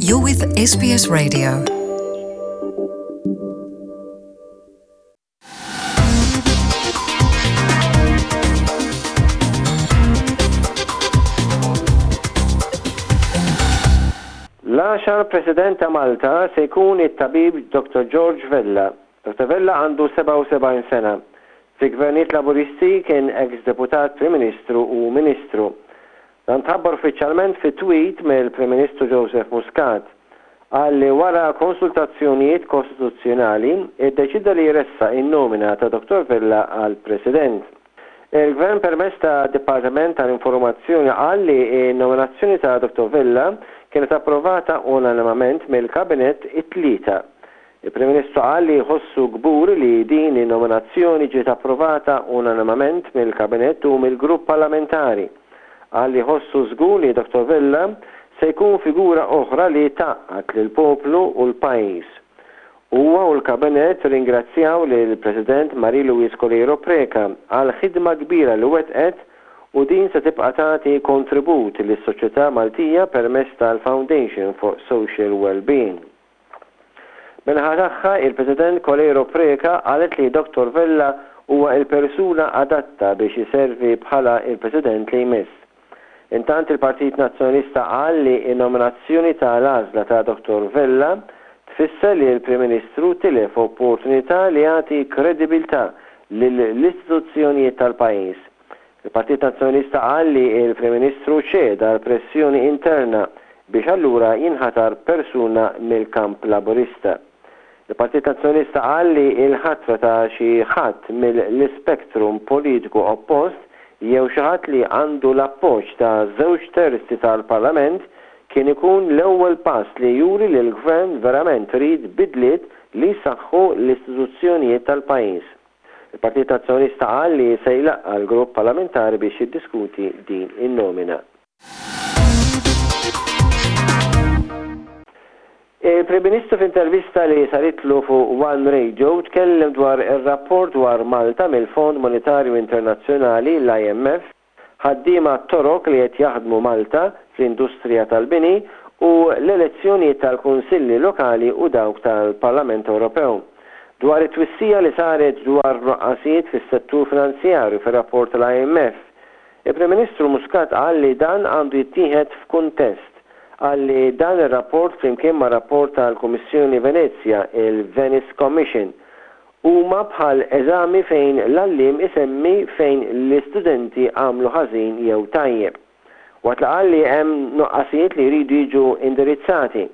You're with SBS Radio. L-għaxar President ta' Malta se jkun it-tabib Dr. George Vella. Dr. Vella għandu 77 sena. Fi gvernijiet Laburisti kien eks Deputat Prim Ministru u Ministru. Dan tħabbar uffiċjalment fi tweet mill-Prim Ministru Joseph Muscat. Qal li wara konsultazzjonijiet kostituzzjonali, iddeċieda li jressaq in-nomina ta' Dottor Vella għal President. Il-Gvern permezz ta' Dipartiment tal-Informazzjoni qal li n-nominazzjoni ta' Dottor Vella kienet approvata unanimament mill-Kabinett it-Tlieta. Il-Prim Ministru qal li jħossu kburi li din in-nominazzjoni ġiet approvata unanimament mill-Kabinett u mill-Grupp Parlamentari. Qal li jħossu żgur li Dottor Vella se jkun figura oħra li tgħaqqad lill-poplu u l-pajjiż. Huwa u l-Kabinett rringrazzjaw lill-President Marie Louise Coleiro Preca għall-ħidma kbira li wettqet u din se tibqa' tagħti kontribut lis-soċjetà Maltija permezz tal-Foundation for Social Wellbeing. Min-naħa tagħha, il-President Coleiro Preca qalet li Dottor Vella huwa l-persuna adatta biex iservi bħala l-President li jmiss. Intant il-Partit Nazzjonalista qal li n-nominazzjoni ta' l-għażla ta' Dottor Vella tfisser li l-Prim Ministru tilef opportunità li jagħti kredibilità lill-istituzzjonijiet tal-pajjiż. Il-Partit Nazzjonalista qal li l-Prim Ministru ċeda għall-pressjoni interna biex allura jinħatar persuna mill-kamp Laburista. Il-Partit Nazzjonalista qal li l-ħatra ta' xi ħadd mill-ispektrum politiku oppost jew xi ħadd li għandu l-appoġġ ta' żewġ terzi tal-Parlament kien ikun l-ewwel pass li juri li l-Gvern verament ried bidliet li jsaħħu l-istituzzjonijiet tal-pajjiż. Il-Partit Nazzjonalista qal li se jlaqqa' l-grupp parlamentari biex jiddiskuti din in-nomina. Il-Prim Ministru f'intervista li saritlu fuq One Radio tkellem dwar ir-rapport dwar Malta mill-Fond Monetarju Internazzjonali, l-IMF, ħaddiema Torok li qed jaħdmu Malta fl-industrija tal-bini u l-elezzjonijiet tal-Kunsilli Lokali u dawk tal-Parlament Ewropew. Dwar it-twissija li saret dwar nuqqasijiet fis-settur finanzjarju fir-rapport tal-IMF, il-Prim Ministru Muscat qal li dan għandu jittieħed f'kuntest. Qal li dan ir-rapport flimkien mar-rapport tal-Kummissjoni Venezja, il-Venice Commission, Huma bħal eżami fejn l-għalliem isemmi fejn l-istudenti għamlu ħażin jew tajjeb. Waqt li qal li hemm nuqqasijiet li jridu jiġu indirizzati,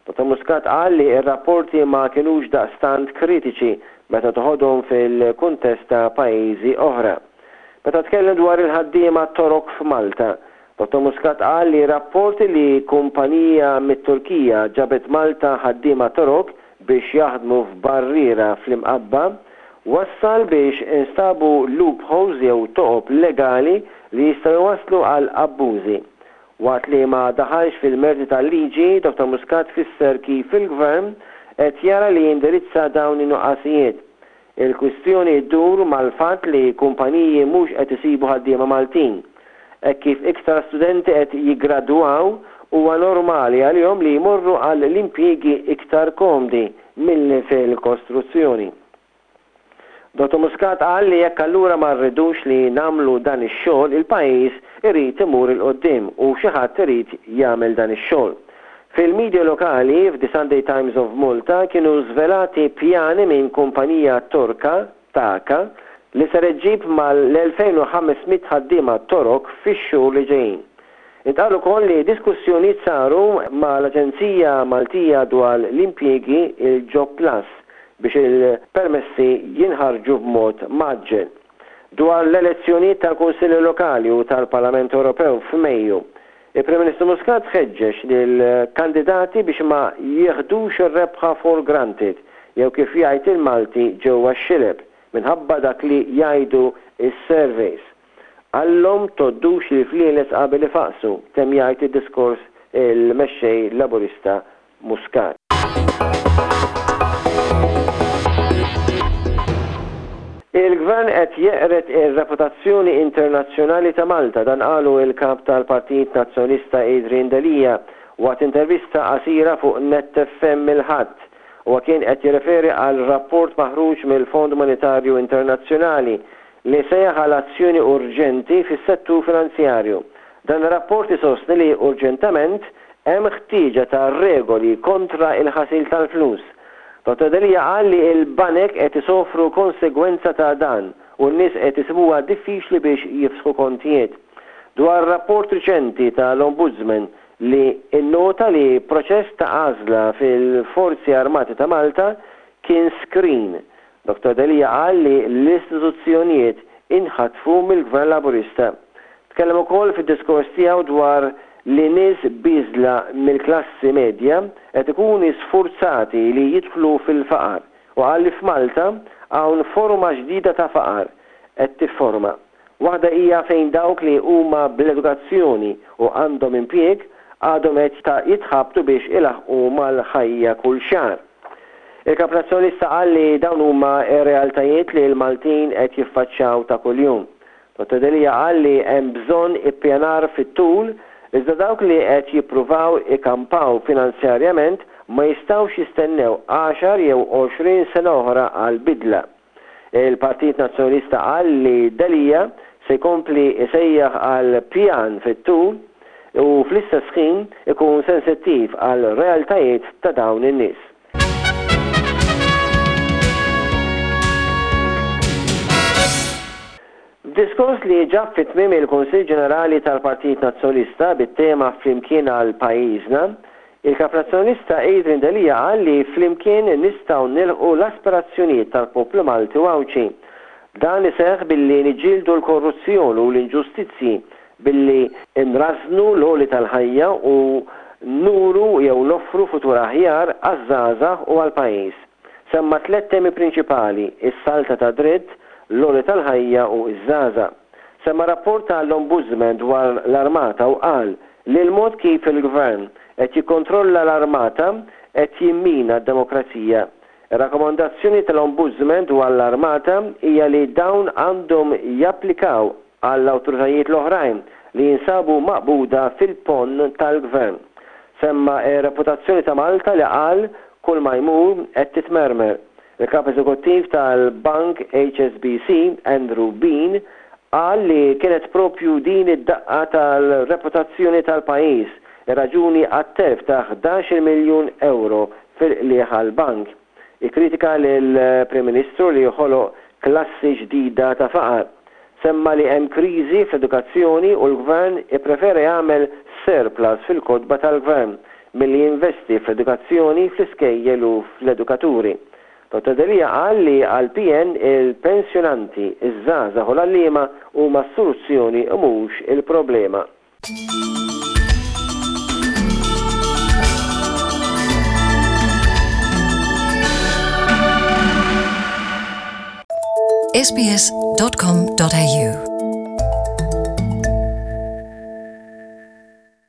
Dottor Muscat qal li r-rapporti ma kinux daqstant kritiċi meta toħodhom fil-kuntest ta' pajjiżi oħra. Meta tkellem dwar il-ħaddiema Torok f'Malta, Dottor Muscat qal li rapporti li kumpanija mit-Turkija ġabet Malta ħaddiema Torok biex jaħdmu f'barriera fl-Imqabba wassal biex instabu loopholes jew toqob legali li jistgħu jwasslu għal abbużi. Waqt li ma daħalx fil-merti tal-liġi, Dottor Muscat fisser kif il-Gvern qed jara li jindirizza dawn in-nuqqasijiet. Il-kwistjoni ddur mal-fatt li kumpaniji mhux qed isibu ħaddiema Maltin. Hekk kif iktar studenti qed jiggradwaw, huwa normali għalihom li jmorru għal l-impjiegi iktar komdi milli fil-kostruzzjoni. Dottor Muscat qal li jekk allura ma rridux li nagħmlu dan ix-xogħol il-pajjiż irid imur 'il quddiem u xi ħadd irid jagħmel dan ix-xogħol. Fil-media lokali, f'The Sunday Times of Malta, kienu żvelati pjani minn kumpanija Torka, Taka, li ser iġġib mal-2,500 ħaddiema Torok fix-xhur li ġejjin. Intqal ukoll li diskussjonijiet saru mal-Aġenzija Maltija dwar l-Impjiegi, il-Job Plus, biex il-permessi jinħarġu b'mod mgħaġġel. Dwar l-elezzjonijiet tal-Kunsilli Lokali u tal-Parlament Ewropew f'Mejju, Il-Prim Ministru Muscat ħeġġeġ lill-kandidati biex ma jieħdux ir-rebħa for granted jew kif jgħid il-Malti ġewwa x-xileb minħabba dak li jgħidu s-surveys. Qallhom tgħoddux il-flieles qabel ifaqqsu, temm jgħid id-diskors il-Mexxej Laburista Muscat. Il-Gvern qed jeqred ir-reputazzjoni internazzjonali ta' Malta, dan qalu l-Kap tal-Partit Nazzjonalista Adrian Delia. Waqt intervista qasira fuq Net FM il-Ħadd, huwa kien qed jirreferi għal rapport maħruġ mill-Fond Monetarju Internazzjonali li sejjaħ għal azzjoni urġenti fis-settur finanzjarju. Dan ir-rapport isostni li urġentament hemm ħtieġa ta' regoli kontra l-ħasil tal-flus. Dottor Delia qal li l-banek qed isofru konsegwenza ta' dan u n-nies qed isibuha diffiċli biex jiftħu kontijiet. Dwar rapport riċenti tal-Ombudsman li nnota li proċess ta' għażla fil-Forzi Armati ta' Malta kien screen, Dottor Delia qal li l-istituzzjonijiet inħatfu mill-Gvern Laburista. Tkellem ukoll fid-diskors tiegħu dwar li nies bieżla mill-klassi medja qed ikuni sfurzati li jidħlu fil-faqar u qal li f'Malta hawn forma ġdida ta' faqar qed tifforma. Waħda hija fejn dawk li huma bl-edukazzjoni u għandhom impjieg għadhom qed jitħabtu biex ilaħħqu mal-ħajja kull xahar. Il-Kap Nazzjonalista qal li dawn huma r-realtajiet li l-Maltin qed jiffaċċjaw ta' kuljum. Dottor Delia qal li hemm bżonn ippjanar fit-tul iżda dawk li qed jippruvaw ikampaw finanzjarjament ma jistgħux jistennew għaxar jew 20 sena oħra għal bidla. Il-Partit Nazzjonalista qal li Delia se jkompli jsejjaħ għal pjan fit-tul u fl-istess ħin ikun sensittiv għal realtajiet ta' dawn in-nies. F'diskors li ġab fi tmiem il-Kunsill Ġenerali tal-Partit Nazzjonalista bit-tema Flimkien għal Pajjiżna, il-Kap Nazzjonalista Adrian Delia qal li flimkien nistgħu nilħqu l-aspirazzjonijiet tal-poplu Malti u Għawdxi. Dan iseħħ billi niġġieldu l-korruzzjoni u l-inġustizzji, billi nrażżnu l-għoli tal-ħajja u nuru jew noffru futur aħjar għaż-żgħażagħ u għall-pajjiż. Semma tlett temi prinċipali, is-saltna tad-dritt, l-għoli tal-ħajja u ż-żgħażagħ. Semma rapport ta' l-Ombudsman dwar l-Armata u qal li l-mod kif il-Gvern qed jikkontrolla l-Armata qed jimmina d-demokrazija. Ir-rakkomandazzjoni tal-Ombudsman dwar l-Armata hija li dawn għandhom japplikaw għall-awtoritajiet l-oħrajn li jinsabu maqbuda fil-ponn tal-Gvern. Semma r-reputazzjoni ta' Malta li qal kull ma jmur qed titmermer. Il-Kap Eżekuttiv tal-Bank HSBC, Andrew Bean, qal li kienet proprju din id-daqqa tal-reputazzjoni tal-pajjiż ir-raġuni għat-telf ta' 11-il miljun ewro fil-qligħ għall-bank. Ikkritika lill-Prim Ministru li ħoloq klassi ġdida ta' faqar. Semma li hemm kriżi fl-edukazzjoni u l-Gvern ipprefera jagħmel surplus fil-kotba tal-Gvern milli jinvesti fl-edukazzjoni, fl-iskejjel u fl-edukaturi. Dottor Delia qal li għall-PN il-pensjonanti, iż-żgħażagħ u l-għalliema huma s-soluzzjoni u mhux il-problema. sbs.com.au.